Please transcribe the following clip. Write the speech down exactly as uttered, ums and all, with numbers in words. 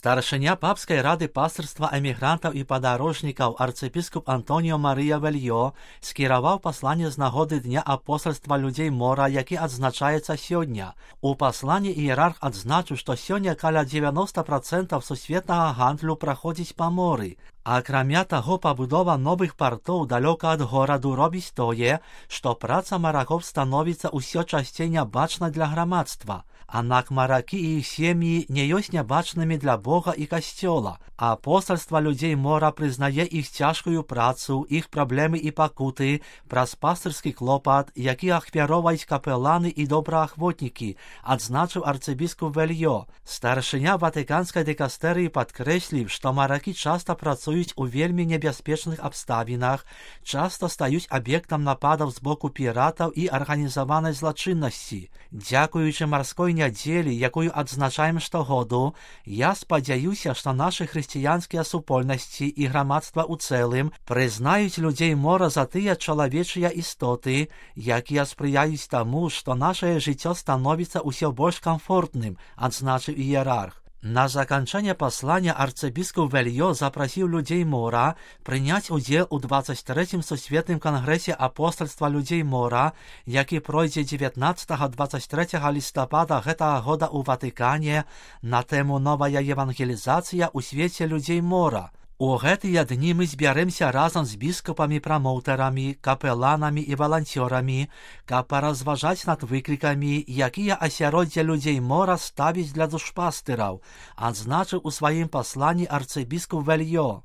Старшыня папскай рады пастырства эмігрантаў і падарожнікаў арцыбіскуп Антоніо Марыя Вельё скіраваў пасланне з нагоды Дня апостальства людзей мора, які адзначаецца сёння. У пасланні іерарх адзначыў, што сёння каля дзевяноста працэнтаў сусветнага гандлю праходзіць па моры. Акрамя таго, пабудова новых партоў далёка ад гораду робіць тое, што праца маракоў становіцца ўсё часцей нябачна для грамадства. Аднак маракі і іх сем'і не ёсць нябачнымі для Бога і Касцёла. Апостальства людзей мора прызнае іх цяжкую працу, іх праблемы і пакуты праз пастырскі клопат, які ахвяроўваюць капеланы і добраахвотнікі, адзначыў арцыбіскуп Вельё. Старшыня ватыканскай дыкастэрыі падкрэсліў, што маракі часта працуюць у вельмі небяспечных абставінах, часта стаюць аб'ектам нападаў з боку піратаў і арганізаванай злачыннасці. Дзякуючы марской нядзелі, якую адзначаем штогоду, я спадзяюся, што нашы хрысціянскія супольнасці і грамадства ў цэлым прызнаюць людзей мора за тыя чалавечыя істоты, якія спрыяюць таму, што нашае жыццё становіцца ўсё больш камфортным, адзначыў іерарх. На заканчэнне паслання арцыбіскуп Вельё запрасіў людзей мора прыняць удзел у дваццаць трэцім сусветным кангрэсе апостальства людзей мора, які пройдзе дзевятнаццатага - дваццаць трэцяга лістапада гэтага года ў Ватыкане на тэму «Новая евангелізацыя ў свеце людзей мора». У гэтыя дні мы збярэмся разам з біскупамі-прамоўтарамі, капеланамі і валанцёрамі, каб паразважаць над выклікамі, якія асяроддзе людзей мора ставіць для душпастыраў, адзначыў у сваім пасланні арцыбіскуп Вельё.